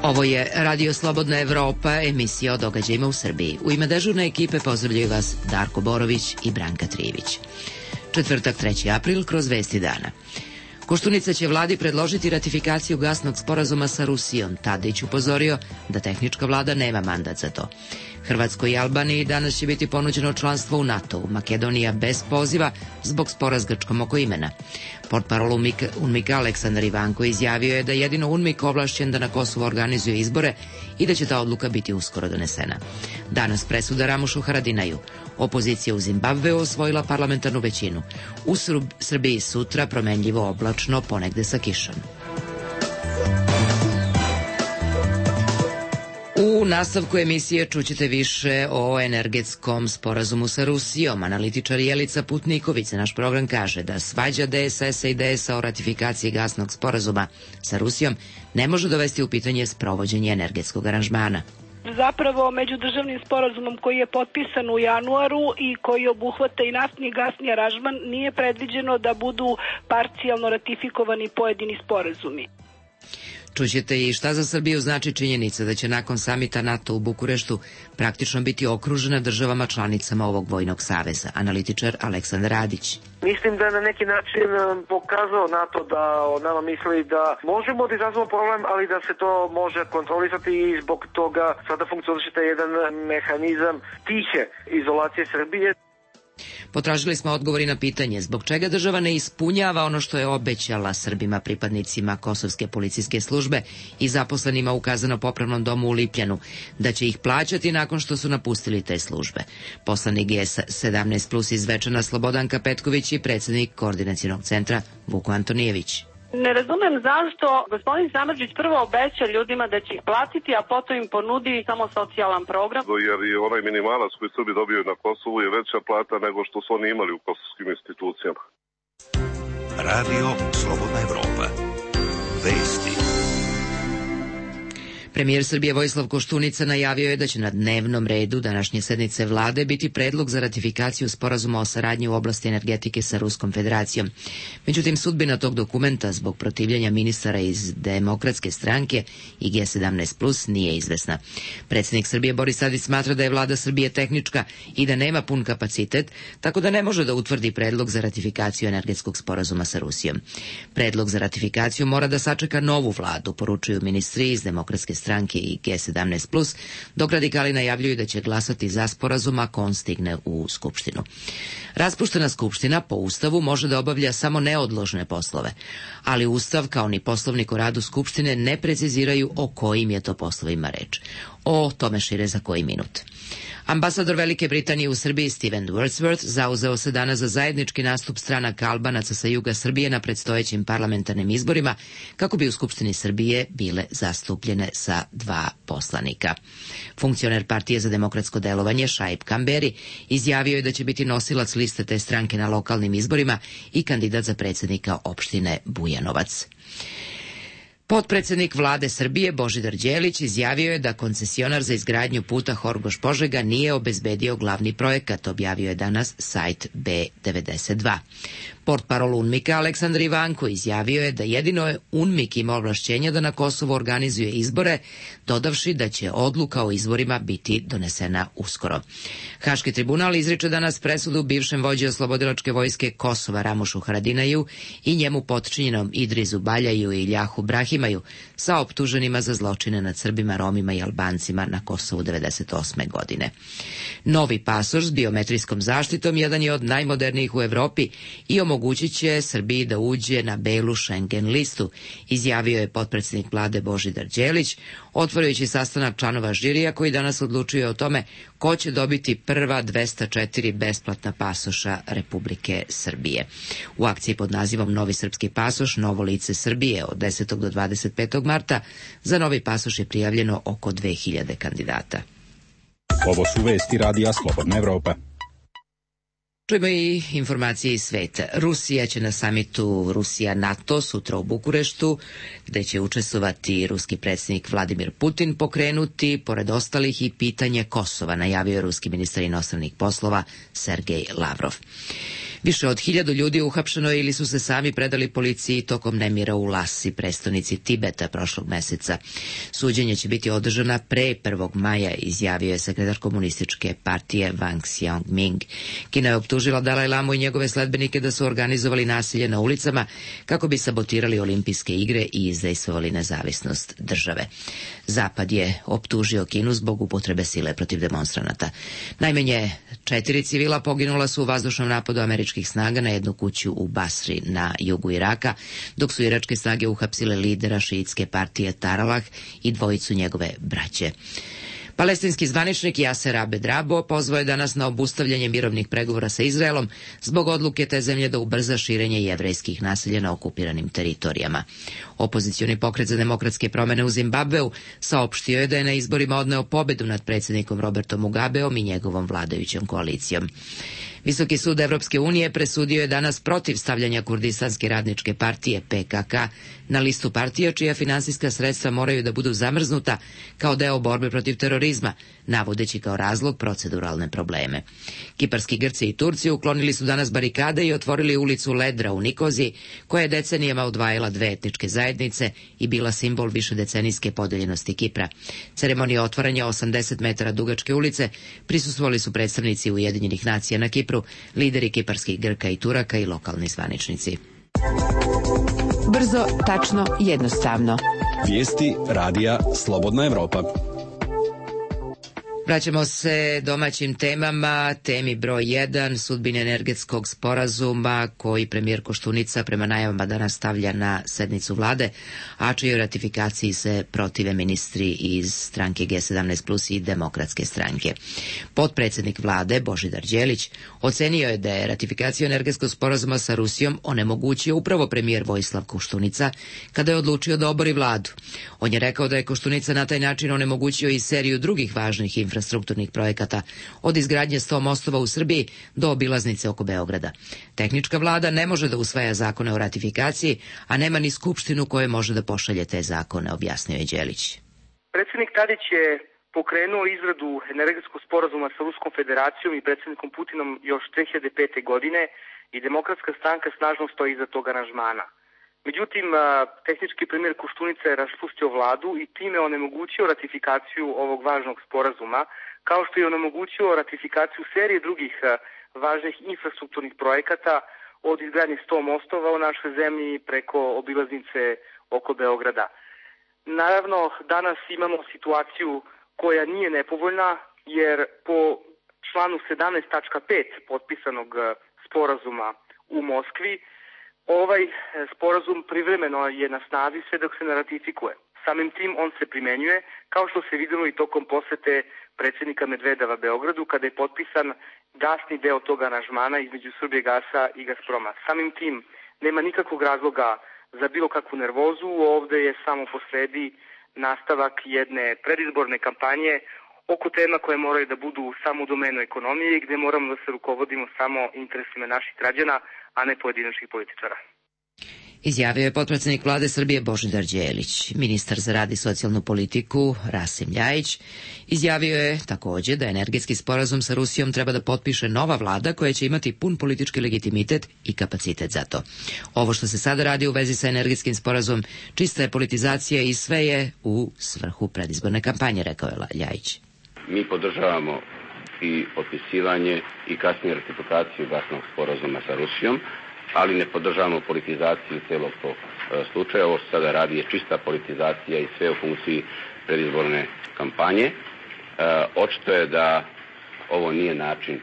Ovo je Radio Slobodna Evropa, emisija o događajima u Srbiji. U ime dežurne ekipe pozdravljaju vas Darko Borović i Branka Trijević. Četvrtak, 3. april, kroz vesti dana. Koštunica će vladi predložiti ratifikaciju gasnog sporazuma sa Rusijom. Tadić upozorio da tehnička vlada nema mandat za to. Hrvatskoj i Albaniji danas će biti ponuđeno članstvo u NATO-u. Makedonija bez poziva zbog spora s Grčkom oko imena. Portparol UNMIK-a Aleksandar Ivanko izjavio je da jedino UNMIK ovlašćen da na Kosovu organizuje izbore i da će ta odluka biti uskoro donesena. Danas presuda Ramušu Haradinaju. Opozicija u Zimbabveu osvojila parlamentarnu većinu. U Srbiji sutra promenljivo oblačno, ponegde sa kišom. U nastavku emisije čućete više o energetskom sporazumu sa Rusijom. Analitičar Jelica Putniković za naš program kaže da svađa DSS-a i DS-a o ratifikaciji gasnog sporazuma sa Rusijom ne može dovesti u pitanje sprovođenje energetskog aranžmana. Zapravo, međudržavnim sporazumom koji je potpisan u januaru i koji obuhvata i naftni i gasni aranžman nije predviđeno da budu parcijalno ratifikovani pojedini sporazumi. Čućete i šta za Srbiju znači činjenica da će nakon samita NATO u Bukureštu praktično biti okružena državama članicama ovog vojnog saveza. Analitičar Aleksandar Radić. Mislim da je na neki način pokazao NATO da o nama misli da možemo da izazvamo problem, ali da se to može kontrolisati i zbog toga sada funkcioniše jedan mehanizam tihe izolacije Srbije. Potražili smo odgovori na pitanje zbog čega država ne ispunjava ono što je obećala Srbima, pripadnicima Kosovske policijske službe i zaposlenima u kazneno-popravnom domu u Lipljanu, da će ih plaćati nakon što su napustili te službe. Poslanik G17+ iz Zvečana Slobodanka Petković i predsjednik Koordinacionog centra Vuko Antonijević. Ne razumem zašto gospodin Samardžić prvo obeća ljudima da će ih platiti, a potom im ponudi samo socijalan program. Jer je onaj minimalac koji Srbi dobiju na Kosovu je veća plata nego što su oni imali u kosovskim institucijama. Radio Slobodna Evropa. Vesti. Premijer Srbije Vojislav Koštunica najavio je da će na dnevnom redu današnje sednice vlade biti predlog za ratifikaciju sporazuma o saradnji u oblasti energetike sa Ruskom federacijom. Međutim, sudbina tog dokumenta zbog protivljenja ministara iz Demokratske stranke i G17+ nije izvesna. Predsjednik Srbije Boris Tadić smatra da je vlada Srbije tehnička i da nema pun kapacitet, tako da ne može da utvrdi predlog za ratifikaciju energetskog sporazuma sa Rusijom. Predlog za ratifikaciju mora da sačeka novu vladu, poručuju ministri iz Demokratske stranke i G17+, dok radikali najavljuju da će glasati za sporazum ako on stigne u Skupštinu. Raspuštena Skupština po Ustavu može da obavlja samo neodložne poslove, ali Ustav kao ni Poslovnik o radu Skupštine ne preciziraju o kojim je to poslovima reč. O tome šire za koji minut. Ambasador Velike Britanije u Srbiji Steven Wordsworth zauzeo se danas za zajednički nastup stranaka Albanaca sa juga Srbije na predstojećim parlamentarnim izborima kako bi u Skupštini Srbije bile zastupljene sa 2 poslanika. Funkcioner Partije za demokratsko delovanje Šaip Kamberi izjavio je da će biti nosilac liste te stranke na lokalnim izborima i kandidat za predsjednika opštine Bujanovac. Potpredsednik vlade Srbije Božidar Đelić izjavio je da koncesionar za izgradnju puta Horgoš-Požega nije obezbedio glavni projekat, objavio je danas sajt B92. Portparol UNMIK-a Aleksandar Ivanko izjavio je da jedino je UNMIK ima ovlašćenja da na Kosovu organizuje izbore, dodavši da će odluka o izborima biti donesena uskoro. Haški tribunal izriče danas presudu bivšem vođi oslobodilačke vojske Kosova Ramušu Haradinaju i njemu potčinjenom Idrizu Baljaju i Iljahu Brahimaju sa optuženima za zločine nad Srbima, Romima i Albancima na Kosovu 1998. godine. Novi pasoš s biometrijskom zaštitom jedan je od najmodernijih u Evropi i omogućit će Srbiji da uđe na belu Schengen listu, izjavio je potpredsjednik vlade Božidar Đelić, otvarajući sastanak članova žirija koji danas odlučuje o tome ko će dobiti prva 204 besplatna pasoša Republike Srbije. U akciji pod nazivom Novi srpski pasoš, novo lice Srbije od 10. do 25. marta za novi pasoš je prijavljeno oko 2000 kandidata. Ovo su vesti Radija Slobodna Evropa. Čujemo i informacije iz sveta. Rusija će na samitu Rusija-NATO sutra u Bukureštu, gde će učestvovati ruski predsjednik Vladimir Putin, pokrenuti, pored ostalih, i pitanje Kosova, najavio je ruski ministar inostranih poslova Sergej Lavrov. Više od 1000 ljudi uhapšeno ili su se sami predali policiji tokom nemira u Lasi, prestonici Tibeta, prošlog meseca. Suđenje će biti održana pre 1. maja, izjavio je sekretar komunističke partije Wang Xiaoming. Kina je optužila Dalaj Lamu i njegove sledbenike da su organizovali nasilje na ulicama kako bi sabotirali olimpijske igre i izdejstvovali nezavisnost države. Zapad je optužio Kinu zbog upotrebe sile protiv demonstranata. Najmanje 4 civila poginula su u vazdušnom napadu američkih snaga na jednu kuću u Basri na jugu Iraka, dok su iračke snage uhapsile lidera šiitske partije Taralah i dvojicu njegove braće. Palestinski zvaničnik Jaser Abed-Rabo pozvao je danas na obustavljanje mirovnih pregovora sa Izraelom zbog odluke te zemlje da ubrza širenje jevrejskih naselja na okupiranim teritorijama. Opozicioni pokret za demokratske promene u Zimbabveu saopštio je da je na izborima odneo pobedu nad predsjednikom Robertom Mugabeom i njegovom vladajućom koalicijom. Visoki sud Evropske unije presudio je danas protiv stavljanja Kurdistanske radničke partije PKK na listu partija čija finansijska sredstva moraju da budu zamrznuta kao deo borbe protiv terorizma, navodeći kao razlog proceduralne probleme. Kiparski Grci i Turci uklonili su danas barikade i otvorili ulicu Ledra u Nikoziji, koja je decenijama odvajala dve etničke zajednice i bila simbol višedecenijske podeljenosti Kipra. Ceremonija otvaranja 80 metara dugačke ulice prisustvovali su predstavnici Ujedinjenih nacija na Kipru, lideri kiparskih Grka i Turaka i lokalni zvaničnici. Brzo, tačno, jednostavno. Vijesti radija Slobodna Evropa. Vraćamo se domaćim temama. Temi broj 1, sudbine energetskog sporazuma koji premijer Koštunica prema najavama danas stavlja na sednicu vlade, a čijoj ratifikaciji se protive ministri iz stranke G17+ i Demokratske stranke. Potpredsjednik vlade Božidar Đelić ocenio je da je ratifikaciju energetskog sporazuma sa Rusijom onemogućio upravo premijer Vojislav Koštunica kada je odlučio da obori vladu. On je rekao da je Koštunica na taj način onemogućio i seriju drugih važnih infrastrukturnih projekata, od izgradnje 100 mostova u Srbiji do obilaznice oko Beograda. Tehnička vlada ne može da usvaja zakone o ratifikaciji, a nema ni skupštinu koja može da pošalje te zakone, objasnio je Đelić. Predsjednik Tadić je pokrenuo izradu energetskog sporazuma sa Ruskom federacijom i predsjednikom Putinom još 2005. godine i Demokratska stranka snažno stoji iza tog aranžmana. Međutim, tehnički premijer Koštunica je raspustio vladu i time onemogućio ratifikaciju ovog važnog sporazuma, kao što je onemogućio ratifikaciju serije drugih važnih infrastrukturnih projekata, od izgradnje 100 mostova u našoj zemlji preko obilaznice oko Beograda. Naravno, danas imamo situaciju koja nije nepovoljna, jer po članu 17.5 potpisanog sporazuma u Moskvi, ovaj sporazum privremeno je na snazi sve dok se ne ratifikuje. Samim tim on se primenjuje, kao što se vidjelo i tokom posete predsjednika Medvedeva Beogradu, kada je potpisan gasni deo tog aranžmana između Srbijagasa i Gazproma. Samim tim nema nikakvog razloga za bilo kakvu nervozu, ovdje je samo posredi nastavak jedne predizborne kampanje oko tema koje moraju da budu samo u domenu ekonomije i gdje moramo da se rukovodimo samo interesima naših građana, a ne pojedinačnih političara. Izjavio je potpredsjednik vlade Srbije Božidar Đelić. Ministar za rad i socijalnu politiku Rasim Ljajić izjavio je također da energetski sporazum sa Rusijom treba da potpiše nova vlada koja će imati pun politički legitimitet i kapacitet za to. Ovo što se sada radi u vezi sa energetskim sporazumom čista je politizacija i sve je u svrhu predizborne kampanje, rekao je Ljajić. Mi podržavamo i potpisivanje i kasnije ratifikaciju gasnog sporazuma sa Rusijom, ali ne podržavamo politizaciju celog tog slučaja. Ovo što sada radi je čista politizacija i sve u funkciji predizborne kampanje. Očito je da ovo nije način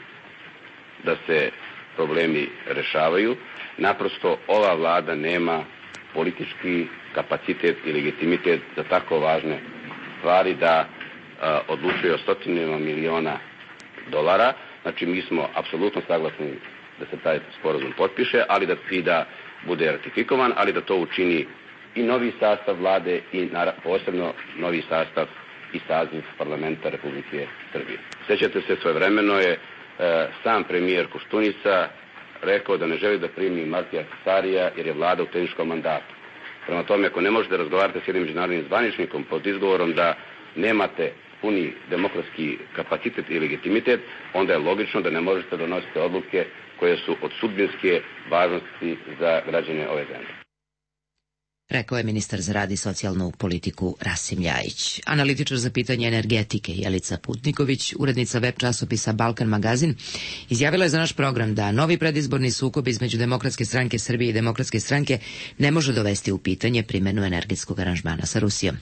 da se problemi rešavaju. Naprosto ova vlada nema politički kapacitet i legitimitet za tako važne stvari da odlučuje o stotinama miliona dolara. Znači mi smo apsolutno saglasni da se taj sporazum potpiše, ali da bude ratifikovan, ali da to učini i novi sastav vlade i posebno novi sastav i saziv parlamenta Republike Srbije. Sjećate se, svojevremeno je sam premijer Koštunica rekao da ne želi da primi Martija Sarija jer je vlada u tehničkom mandatu. Prema tome, ako ne možete razgovarati s jednim međunarodnim zvaničnikom pod izgovorom da nemate puni demokratski kapacitet i legitimitet, onda je logično da ne možete donositi odluke koje su od sudbinske važnosti za građane ove zemlje. Rekao je ministar za rad i socijalnu politiku Rasim Ljajić. Analitičar za pitanje energetike Jelica Putniković, urednica web časopisa Balkan magazin, izjavila je za naš program da novi predizborni sukob između Demokratske stranke Srbije i Demokratske stranke ne može dovesti u pitanje primjenu energetskog aranžmana sa Rusijom.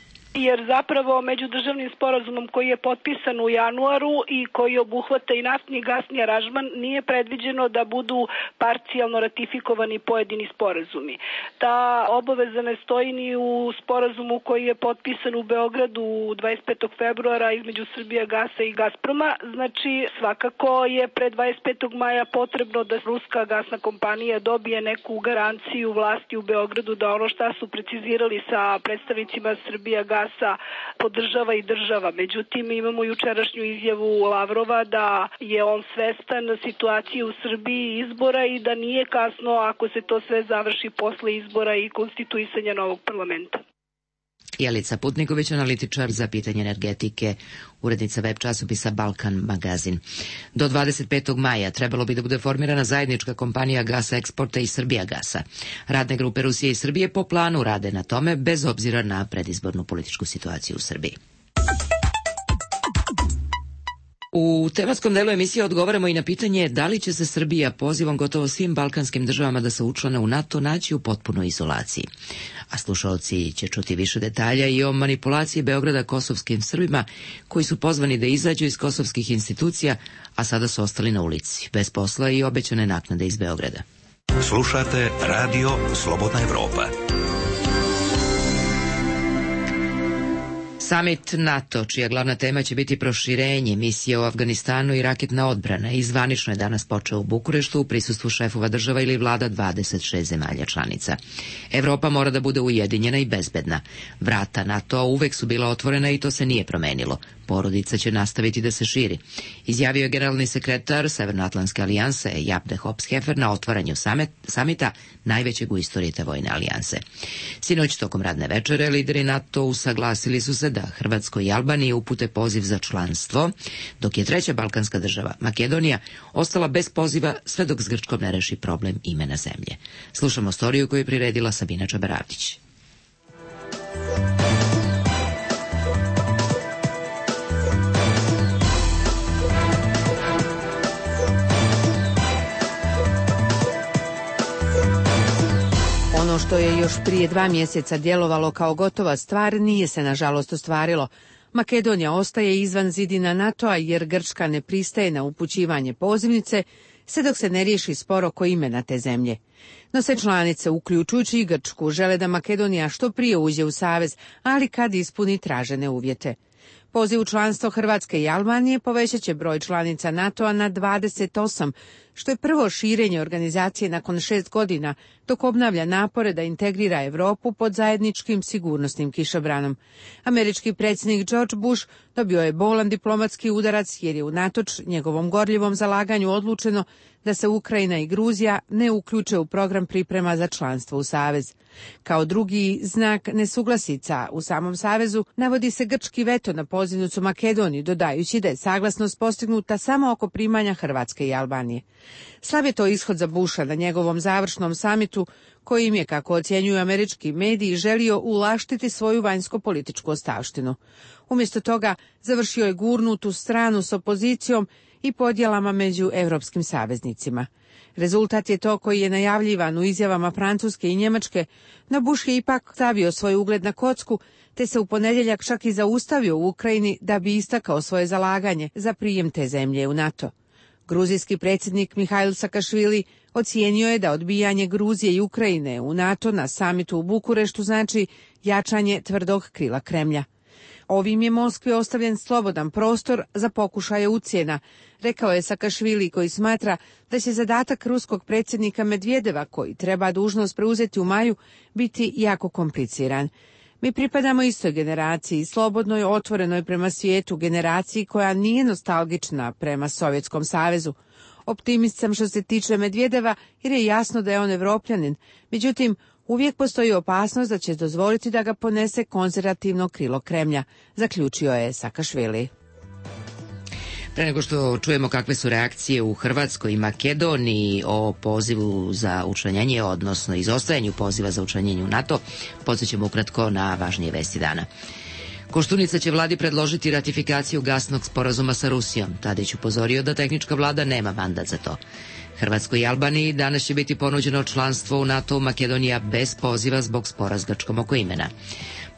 Jer zapravo međudržavnim sporazumom koji je potpisan u januaru i koji obuhvata i naftni i gasni aranžman nije predviđeno da budu parcijalno ratifikovani pojedini sporazumi. Ta obaveza ne stoji ni u sporazumu koji je potpisan u Beogradu 25. februara između Srbijagasa i Gazproma. Znači svakako je pre 25. maja potrebno da ruska gasna kompanija dobije neku garanciju vlasti u Beogradu da ono šta su precizirali sa predstavnicima Srbijagasa podržava i država. Međutim, imamo jučerašnju izjavu Lavrova da je on svestan situacije u Srbiji i izbora i da nije kasno ako se to sve završi posle izbora i konstituisanja novog parlamenta. Jelica Putniković, analitičar za pitanje energetike, urednica web časopisa Balkan magazin. Do 25. maja trebalo bi da bude formirana zajednička kompanija Gasa Eksporta i Srbijagasa. Radne grupe Rusije i Srbije po planu rade na tome bez obzira na predizbornu političku situaciju u Srbiji. U tematskom delu emisije odgovaramo i na pitanje da li će se Srbija pozivom gotovo svim balkanskim državama da se učlane u NATO naći u potpunoj izolaciji. A slušalci će čuti više detalja i o manipulaciji Beograda kosovskim Srbima koji su pozvani da izađu iz kosovskih institucija, a sada su ostali na ulici, bez posla i obećane naknade iz Beograda. Slušate Radio Slobodna Evropa. Samit NATO, čija glavna tema će biti proširenje misije u Afganistanu i raketna odbrana, i zvanično je danas počeo u Bukureštu u prisustvu šefova država ili vlada 26 zemalja članica. Evropa mora da bude ujedinjena i bezbedna. Vrata NATO uvek su bila otvorena i to se nije promenilo. Porodica će nastaviti da se širi, izjavio je generalni sekretar Severnoatlantske alijanse Jaap de Hoop-Scheffer na otvaranju samita, najvećeg u istoriji te vojne alijanse. Sinoć tokom radne večere lideri NATO usaglasili su se da Hrvatskoj i Albaniji upute poziv za članstvo, dok je treća balkanska država, Makedonija, ostala bez poziva sve dok s Grčkom ne reši problem imena zemlje. Slušamo storiju koju je priredila Sabina Čabaravdić. Ono što je još prije 2 mjeseca djelovalo kao gotova stvar nije se nažalost ostvarilo. Makedonija ostaje izvan zidina NATO-a jer Grčka ne pristaje na upućivanje pozivnice, sve dok se ne riješi spor oko imena te zemlje. No sve članice, uključujući i Grčku, žele da Makedonija što prije uđe u savez, ali kad ispuni tražene uvjete. Poziv u članstvo Hrvatske i Albanije povećat će broj članica NATO-a na 28, što je prvo širenje organizacije nakon 6 godina, dok obnavlja napore da integrira Europu pod zajedničkim sigurnosnim kišobranom. Američki predsjednik George Bush dobio je bolan diplomatski udarac jer je unatoč njegovom gorljivom zalaganju odlučeno da se Ukrajina i Gruzija ne uključe u program priprema za članstvo u savez. Kao drugi znak nesuglasica u samom savezu navodi se grčki veto na pozivnicu Makedoniji, dodajući da je saglasnost postignuta samo oko primanja Hrvatske i Albanije. Slab je to ishod za Busha na njegovom završnom samitu, kojim je, kako ocjenjuju američki mediji, želio ulaštiti svoju vanjsko-političku ostavštinu. Umjesto toga završio je gurnutu stranu s opozicijom i podjelama među europskim saveznicima. Rezultat je to koji je najavljivan u izjavama Francuske i Njemačke, no Bush je ipak stavio svoj ugled na kocku, te se u ponedjeljak čak i zaustavio u Ukrajini da bi istakao svoje zalaganje za prijem te zemlje u NATO. Gruzijski predsjednik Mihail Sakašvili ocijenio je da odbijanje Gruzije i Ukrajine u NATO na samitu u Bukureštu znači jačanje tvrdog krila Kremlja. Ovim je Moskvi ostavljen slobodan prostor za pokušaje ucjena, rekao je Sakašvili, koji smatra da će zadatak ruskog predsjednika Medvedeva, koji treba dužnost preuzeti u maju, biti jako kompliciran. Mi pripadamo istoj generaciji, slobodnoj, otvorenoj prema svijetu, generaciji koja nije nostalgična prema Sovjetskom savezu. Optimist sam što se tiče Medvedeva jer je jasno da je on Evropljanin, međutim, uvijek postoji opasnost da će dozvoliti da ga ponese konzervativno krilo Kremlja, zaključio je Sakašvili. Pre nego što čujemo kakve su reakcije u Hrvatskoj i Makedoniji o pozivu za učlanjenje, odnosno izostajanju poziva za učlanjenje u NATO, podsjećamo ukratko na važnije vesti dana. Koštunica će vladi predložiti ratifikaciju gasnog sporazuma sa Rusijom. Tadić upozorio da tehnička vlada nema mandat za to. Hrvatskoj i Albaniji danas će biti ponuđeno članstvo u NATO-u, Makedonija bez poziva zbog spora s Grčkom oko imena.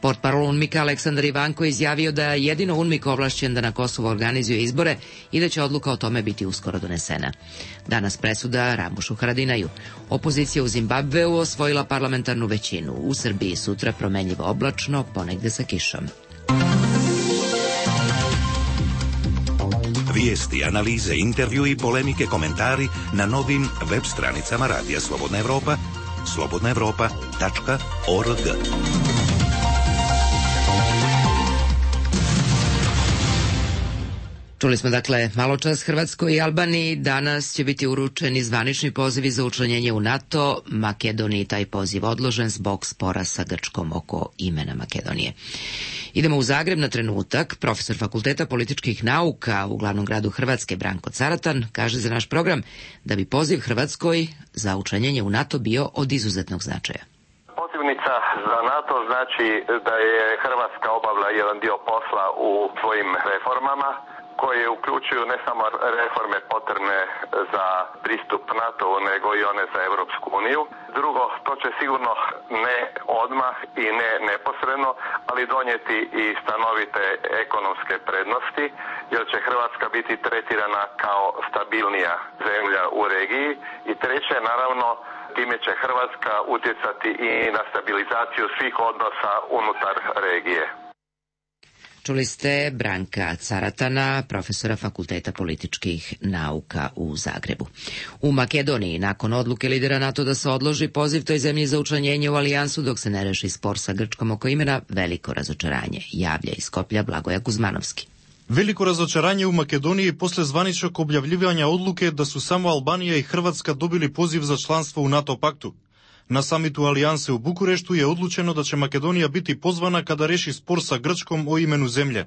Portparol UNMIK-a Aleksandar Ivanko izjavio da je jedino UNMIK ovlašćen da na Kosovu organizuje izbore i da će odluka o tome biti uskoro donesena. Danas presuda Ramušu Haradinaju. Opozicija u Zimbabveu osvojila parlamentarnu većinu. U Srbiji sutra promenljivo oblačno, ponegde sa kišom. Vijesti, analize, intervju i polemike, komentari na novim web stranicama Radija Slobodna Evropa, slobodnaevropa.org. Čuli smo dakle maločas Hrvatskoj i Albaniji. Danas će biti uručeni zvanični pozivi za učlanjenje u NATO. Makedoniji taj poziv odložen zbog spora sa Grčkom oko imena Makedonije. Idemo u Zagreb na trenutak. Profesor Fakulteta političkih nauka u glavnom gradu Hrvatske Branko Caratan kaže za naš program da bi poziv Hrvatskoj za učlanjenje u NATO bio od izuzetnog značaja. Pozivnica za NATO znači da je Hrvatska obavila jedan dio posla u svojim reformama, koje uključuju ne samo reforme potrebne za pristup NATO-u, nego i one za Europsku uniju. Drugo, to će sigurno ne odmah i ne neposredno, ali donijeti i stanovite ekonomske prednosti, jer će Hrvatska biti tretirana kao stabilnija zemlja u regiji. I treće, naravno, time će Hrvatska utjecati i na stabilizaciju svih odnosa unutar regije. Čuli ste Branka Caratana, profesora Fakulteta političkih nauka u Zagrebu. U Makedoniji, nakon odluke lidera NATO da se odloži poziv toj zemlji za učlanjenje u alijansu dok se ne reši spor sa Grčkom oko imena, veliko razočaranje, javlja iz Skoplja Blagoja Kuzmanovski. Veliko razočaranje u Makedoniji posle zvaničnog objavljivanja odluke da su samo Albanija i Hrvatska dobili poziv za članstvo u NATO paktu. Na samitu Alijanse u Bukureštu je odlučeno da će Makedonija biti pozvana kada reši spor sa Grčkom o imenu zemlje.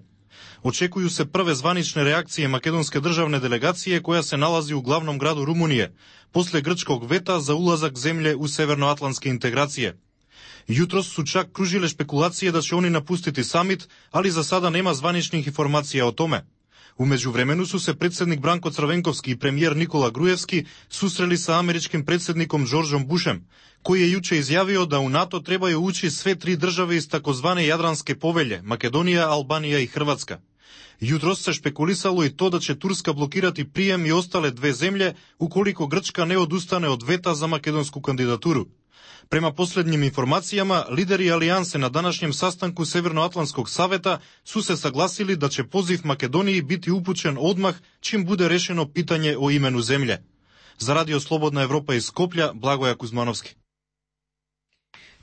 Očekuju se prve zvanične reakcije makedonske državne delegacije koja se nalazi u glavnom gradu Rumunije, posle grčkog veta za ulazak zemlje u severnoatlantske integracije. Jutros su čak kružile špekulacije da će oni napustiti samit, ali za sada nema zvaničnih informacija o tome. U međuvremenu su se predsjednik Branko Crvenkovski i premijer Nikola Grujevski susreli sa američkim predsjednikom Georgeom Bushem, koji je juče izjavio da u NATO trebaju ući sve tri države iz takozvane Jadranske povelje, Makedonija, Albanija i Hrvatska. Jutros se špekulisalo i to da će Turska blokirati prijem i ostale dve zemlje ukoliko Grčka ne odustane od veta za makedonsku kandidaturu. Prema posljednjim informacijama, lideri alijanse na današnjem sastanku Severnoatlantskog saveta su se saglasili da će poziv Makedoniji biti upućen odmah čim bude rešeno pitanje o imenu zemlje. Za Radio Slobodna Evropa iz Skoplja, Blagoja Kuzmanovski.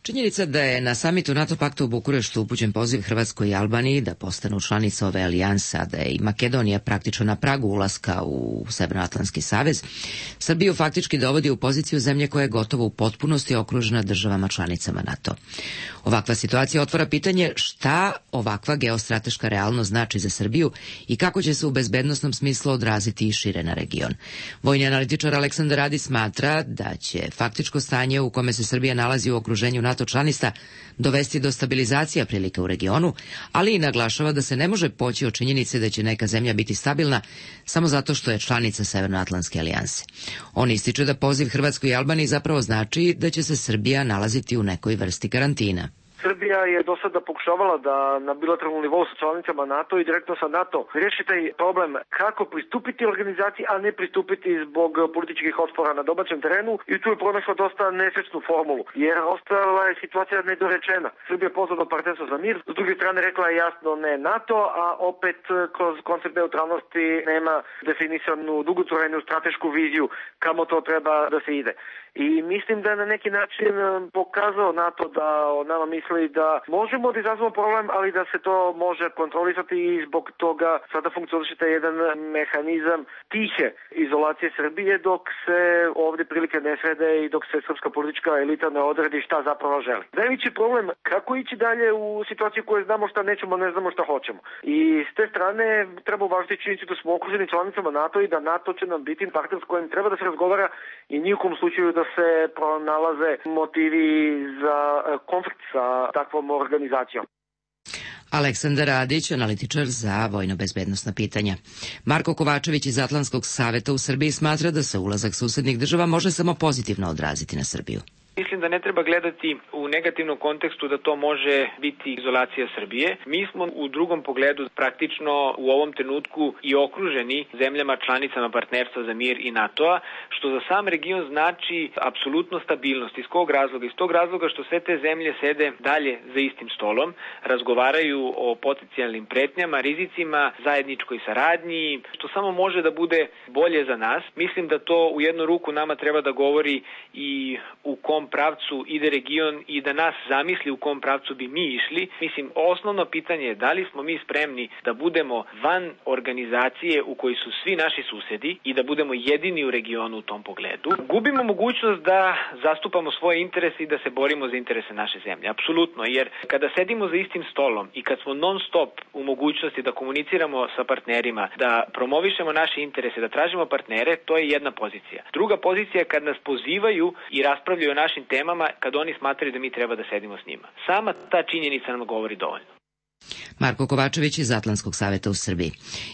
Činjenica da je na samitu NATO pakta u Bukureštu upućen poziv Hrvatskoj i Albaniji da postanu članice ove alijanse, a da je i Makedonija praktično na pragu ulaska u Severnoatlantski savez, Srbiju faktički dovodi u poziciju zemlje koja je gotovo u potpunosti okružena državama članicama NATO. Ovakva situacija otvara pitanje šta ovakva geostrateška realnost znači za Srbiju i kako će se u bezbednosnom smislu odraziti i šire na region. Vojni analitičar Aleksandar Radi smatra da će faktičko stanje u kome se Srbija nalazi u okruženju NATO članista dovesti do stabilizacija prilika u regionu, ali i naglašava da se ne može poći od činjenice da će neka zemlja biti stabilna samo zato što je članica Severnoatlantske alijanse. On ističe da poziv Hrvatskoj i Albaniji zapravo znači da će se Srbija nalaziti u nekoj vrsti karantina. Srbija je do sada pokušavala da na bilateralnom nivou sa članicama NATO i direktno sa NATO riješi taj problem kako pristupiti organizaciji, a ne pristupiti zbog političkih otpora na domaćem terenu, i tu je pronašla dosta nesrećnu formulu, jer ostala je situacija nedorečena. Srbija je pozvala partnerstvo za mir, s druge strane rekla je jasno ne NATO, a opet kroz koncept neutralnosti nema definisanu dugotrajnu stratešku viziju kamo to treba da se ide. I mislim da je na neki način pokazao NATO da o nama misli misli da možemo da izazvamo problem, ali da se to može kontrolisati i zbog toga sada funkcioniše taj jedan mehanizam tihe izolacije Srbije dok se ovde prilike ne srede i dok se srpska politička elita ne odredi šta zapravo želi. Najveći problem kako ići dalje u situaciji koje znamo šta nećemo, ne znamo šta hoćemo. I s te strane treba uvažiti činjenicu da smo okruženi članicama NATO i da NATO će nam biti partner s kojim treba da se razgovara i nijukom slučaju da se pronalaze motivi za konflikt sa takvom organizacijom. Aleksandar Radić, analitičar za vojno-bezbednosna pitanja. Marko Kovačević iz Atlantskog saveta u Srbiji smatra da se ulazak susednih država može samo pozitivno odraziti na Srbiju. Mislim da ne treba gledati u negativnom kontekstu da to može biti izolacija Srbije. Mi smo u drugom pogledu praktično u ovom trenutku i okruženi zemljama članicama partnerstva za mir i NATO-a, što za sam region znači apsolutno stabilnost. Iz kog razloga? Iz tog razloga što sve te zemlje sede dalje za istim stolom, razgovaraju o potencijalnim pretnjama, rizicima, zajedničkoj saradnji, što samo može da bude bolje za nas. Mislim da to u jednu ruku nama treba da govori i u kom pravcu ide region i da nas zamisli u kom pravcu bi mi išli. Mislim, osnovno pitanje je da li smo mi spremni da budemo van organizacije u kojoj su svi naši susedi i da budemo jedini u regionu u tom pogledu. Gubimo mogućnost da zastupamo svoje interese i da se borimo za interese naše zemlje. Apsolutno, jer kada sedimo za istim stolom i kad smo non stop u mogućnosti da komuniciramo sa partnerima, da promovišemo naše interese, da tražimo partnere, to je jedna pozicija. Druga pozicija je kad nas pozivaju i raspravljaju o našim temama, kad oni smatraju da mi treba da sedimo s njima. Sama ta činjenica nam govori dovoljno. Marko Kovačević iz Atlantskog saveta u Srbiji.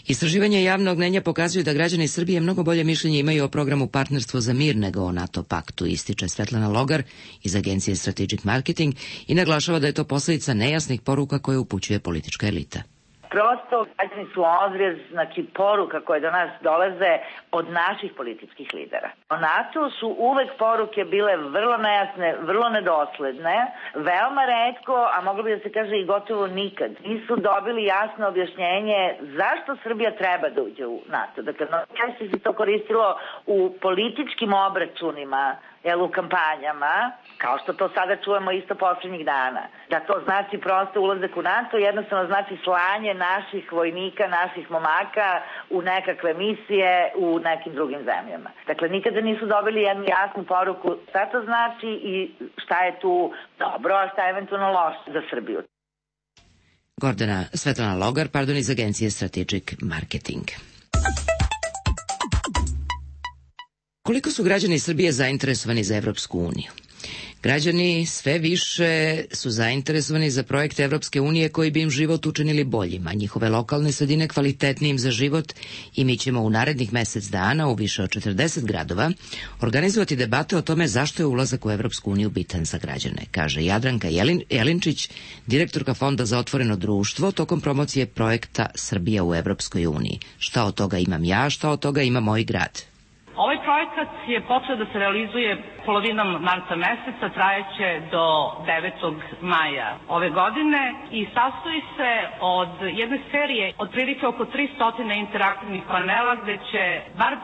Istraživanja javnog mnjenja pokazuju da građani Srbije mnogo bolje mišljenje imaju o programu Partnerstvo za mir nego o NATO paktu, ističe Svetlana Logar iz agencije Strategic Marketing i naglašava da je to posledica nejasnih poruka koje upućuje politička elita. Prosto, građani su odraz, poruka koje do nas dolaze od naših političkih lidera. O NATO su uvek poruke bile vrlo nejasne, vrlo nedosledne, veoma retko, a moglo bi da se kaže i gotovo nikad. Nisu dobili jasno objašnjenje zašto Srbija treba da uđe u NATO. Dakle, najčešće se to koristilo u političkim obračunima, u kampanjama, kao što to sada čujemo isto poslednjih dana. Da to znači prosto ulazak u NATO, jednostavno znači slanje naših vojnika, naših momaka u nekakve misije u nekim drugim zemljama. Dakle, nikada nisu dobili jednu jasnu poruku šta to znači i šta je tu dobro, a šta je eventualno loše za Srbiju. Svetlana Logar, iz agencije Strategic Marketing. Koliko su građani Srbije zainteresovani za Evropsku uniju? Građani sve više su zainteresovani za projekte Evropske unije koji bi im život učinili boljim, a njihove lokalne sredine kvalitetnijim za život i mi ćemo u narednih mesec dana u više od 40 gradova organizovati debate o tome zašto je ulazak u Evropsku uniju bitan za građane, kaže Jadranka Jelinčić, direktorka Fonda za otvoreno društvo tokom promocije projekta Srbija u Evropskoj uniji. Šta od toga imam ja, šta od toga ima moj grad? Ovaj projekat je počeo da se realizuje polovinom marta meseca, trajeće do 9. maja ove godine i sastoji se od jedne serije otprilike oko 300 interaktivnih panela gde će bar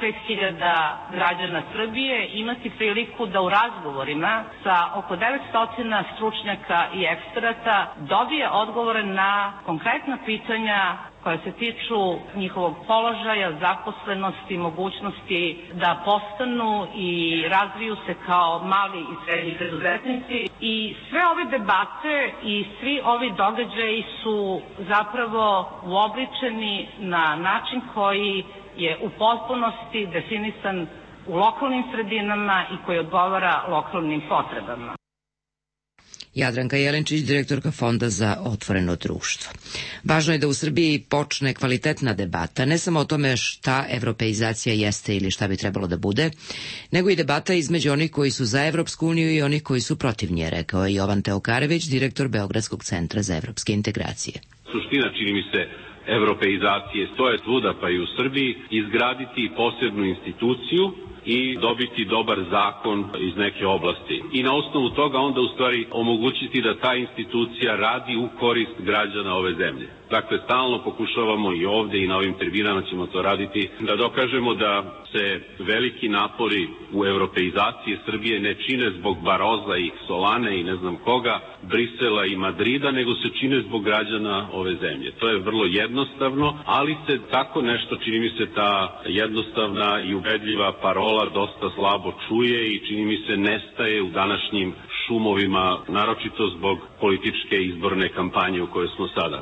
25.000 građana Srbije imati priliku da u razgovorima sa oko 900 stručnjaka i eksperata dobije odgovore na konkretna pitanja koje se tiču njihovog položaja, zaposlenosti, mogućnosti da postanu i razviju se kao mali i srednji preduzetnici. I sve ove debate i svi ovi događaji su zapravo uobličeni na način koji je u potpunosti definisan u lokalnim sredinama i koji odgovara lokalnim potrebama. Jadranka Jelinčić, direktorka Fonda za otvoreno društvo. Važno je da u Srbiji počne kvalitetna debata, ne samo o tome šta evropeizacija jeste ili šta bi trebalo da bude, nego i debata između onih koji su za Evropsku uniju i onih koji su protiv nje, rekao je Jovan Teokarević, direktor Beogradskog centra za evropske integracije. Suština, čini mi se, evropeizacije stoje svuda pa i u Srbiji, izgraditi posebnu instituciju i dobiti dobar zakon iz neke oblasti. I na osnovu toga onda u stvari omogućiti da ta institucija radi u korist građana ove zemlje. Dakle, stalno pokušavamo i ovde i na ovim tribinama ćemo to raditi, da dokažemo da se veliki napori u europeizaciji Srbije ne čine zbog Baroza i Solane i ne znam koga, Brisela i Madrida, nego se čine zbog građana ove zemlje. To je vrlo jednostavno, ali se tako nešto, čini mi se, ta jednostavna i ubedljiva parola dosta slabo čuje i čini mi se nestaje u današnjim šumovima, naročito zbog političke izborne kampanje u kojoj smo sada.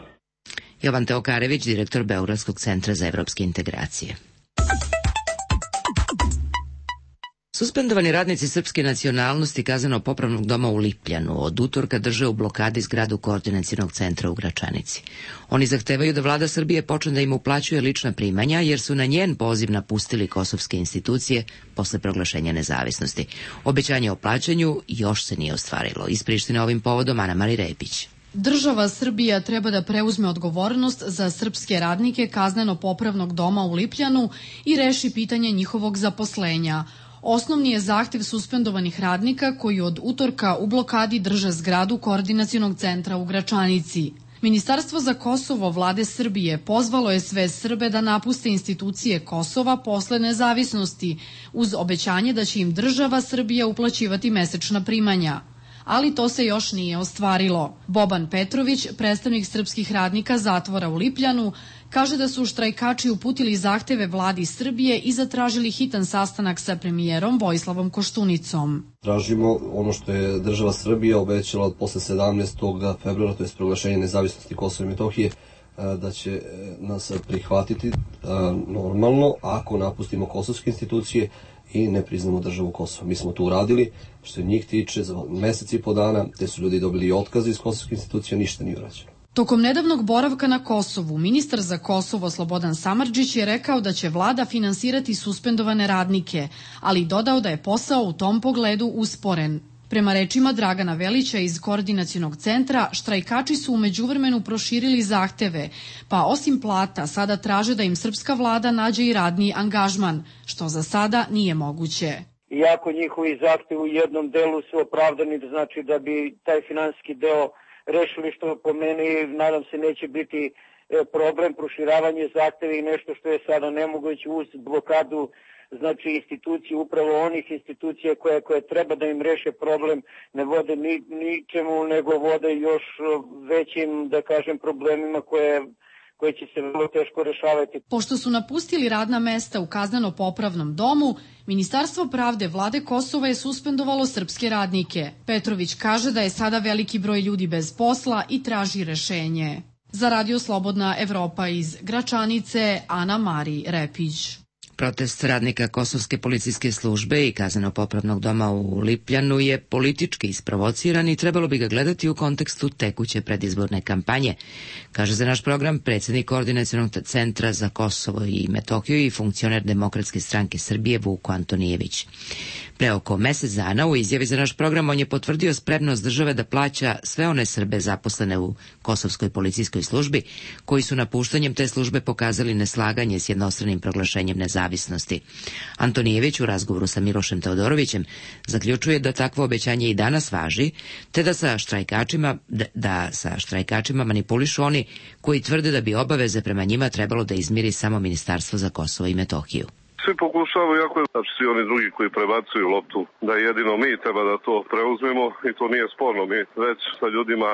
Jovan Teokarević, direktor Beogradskog centra za evropske integracije. Suspendovani radnici srpske nacionalnosti Kazneno-popravnog doma u Lipljanu od utorka drže u blokadi zgradu Koordinacionog centra u Gračanici. Oni zahtevaju da vlada Srbije počne da im uplaćuje lična primanja, jer su na njen poziv napustili kosovske institucije posle proglašenja nezavisnosti. Obećanje o plaćanju još se nije ostvarilo. Iz Prištine ovim povodom Ana Mari Repić. Država Srbija treba da preuzme odgovornost za srpske radnike Kazneno-popravnog doma u Lipljanu i reši pitanje njihovog zaposlenja. Osnovni je zahtev suspendovanih radnika koji od utorka u blokadi drže zgradu Koordinacionog centra u Gračanici. Ministarstvo za Kosovo vlade Srbije pozvalo je sve Srbe da napuste institucije Kosova posle nezavisnosti, uz obećanje da će im država Srbija uplaćivati mesečna primanja. Ali to se još nije ostvarilo. Boban Petrović, predstavnik srpskih radnika zatvora u Lipljanu, kaže da su štrajkači uputili zahteve vladi Srbije i zatražili hitan sastanak sa premijerom Vojislavom Koštunicom. Tražimo ono što je država Srbija obećala posle 17. februara, to je proglašenje nezavisnosti Kosova i Metohije, da će nas prihvatiti normalno ako napustimo kosovske institucije i ne priznamo državu Kosova. Mi smo to uradili, što se njih tiče, za mesec i po dana, te su ljudi dobili otkaz iz kosovske institucije, ništa nije urađeno. Tokom nedavnog boravka na Kosovu, ministar za Kosovo Slobodan Samardžić je rekao da će vlada finansirati suspendovane radnike, ali dodao da je posao u tom pogledu usporen. Prema rečima Dragana Velića iz Koordinacionog centra, štrajkači su u međuvremenu proširili zahteve, pa osim plata sada traže da im srpska vlada nađe i radni angažman, što za sada nije moguće. Iako njihovi zahtevi u jednom delu su opravdani, znači da bi taj finansijski deo rešili, što po meni nadam se neće biti problem, proširavanje zahteva i nešto što je sada nemoguće uz blokadu, znači institucije, upravo onih institucija koje treba da im reše problem, ne vode ničemu, nego vode još većim, da kažem, problemima koje će se vrlo teško rešavati. Pošto su napustili radna mesta u Kazneno-popravnom domu, Ministarstvo pravde vlade Kosova je suspendovalo srpske radnike. Petrović kaže da je sada veliki broj ljudi bez posla i traži rešenje. Za Radio Slobodna Evropa iz Gračanice, Ana Mari Repić. Protest radnika Kosovske policijske službe i Kazneno-popravnog doma u Lipljanu je politički isprovociran i trebalo bi ga gledati u kontekstu tekuće predizborne kampanje, kaže za naš program predsjednik Koordinacionog centra za Kosovo i Metohiju i funkcioner Demokratske stranke Srbije Vuko Antonijević. Pre oko mesec dana u izjavi za naš program on je potvrdio spremnost države da plaća sve one Srbe zaposlene u Kosovskoj policijskoj službi koji su napuštanjem te službe pokazali neslaganje s jednostranim proglašenjem nezavisnosti. Antonijević u razgovoru sa Milošem Teodorovićem zaključuje da takvo obećanje i danas važi, te da sa štrajkačima manipulišu oni koji tvrde da bi obaveze prema njima trebalo da izmiri samo Ministarstvo za Kosovo i Metohiju. Svi pokušavaju, jako je, znači svi oni drugi koji prebacuju loptu, da jedino mi treba da to preuzmemo i to nije sporno. Mi već sa ljudima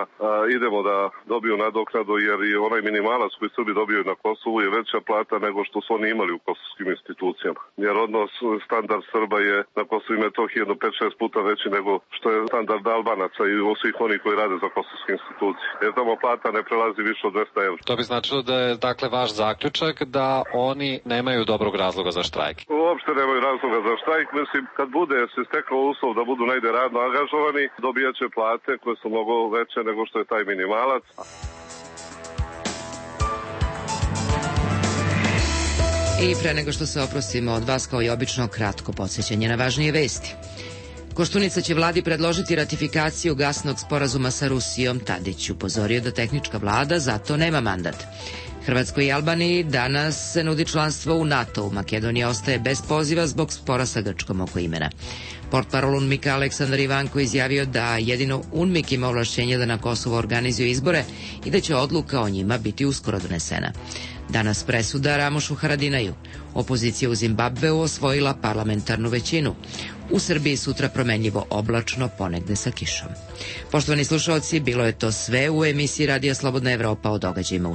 idemo da dobiju nadoknadu, jer i onaj minimalac koji Srbi dobiju na Kosovu je veća plata nego što su oni imali u kosovskim institucijama. Jer odnos, standard Srba je na Kosovu i Metohiji jedno 5-6 puta veći nego što je standard Albanaca i svih onih koji rade za kosovske institucije. Jer tamo plata ne prelazi više od 200 evra. To bi značilo da je, dakle, vaš zaključak da oni nemaju dobrog razloga za štrajk. Uopšte nemaju razloga za štrajk. Mislim, kad bude se stekao uslov da budu negde radno angažovani, dobijaće plate koje su mnogo veće nego što je taj minimalac. I pre nego što se oprostimo od vas, kao i obično, kratko podsjećanje na važnije vesti. Koštunica će vladi predložiti ratifikaciju gasnog sporazuma sa Rusijom. Tadić upozorio da tehnička vlada zato nema mandat. Hrvatskoj i Albaniji danas se nudi članstvo u NATO. Makedonija ostaje bez poziva zbog spora sa Grčkom oko imena. Portparol UNMIK-a Aleksandar Ivanko izjavio da jedino UNMIK ima ovlašćenje da na Kosovo organizuje izbore i da će odluka o njima biti uskoro donesena. Danas presuda Ramošu Haradinaju. Opozicija u Zimbabveu osvojila parlamentarnu većinu. U Srbiji sutra promenljivo oblačno, ponegde sa kišom. Poštovani slušaoci, bilo je to sve u emisiji Radija Slobodna Evropa o događajima u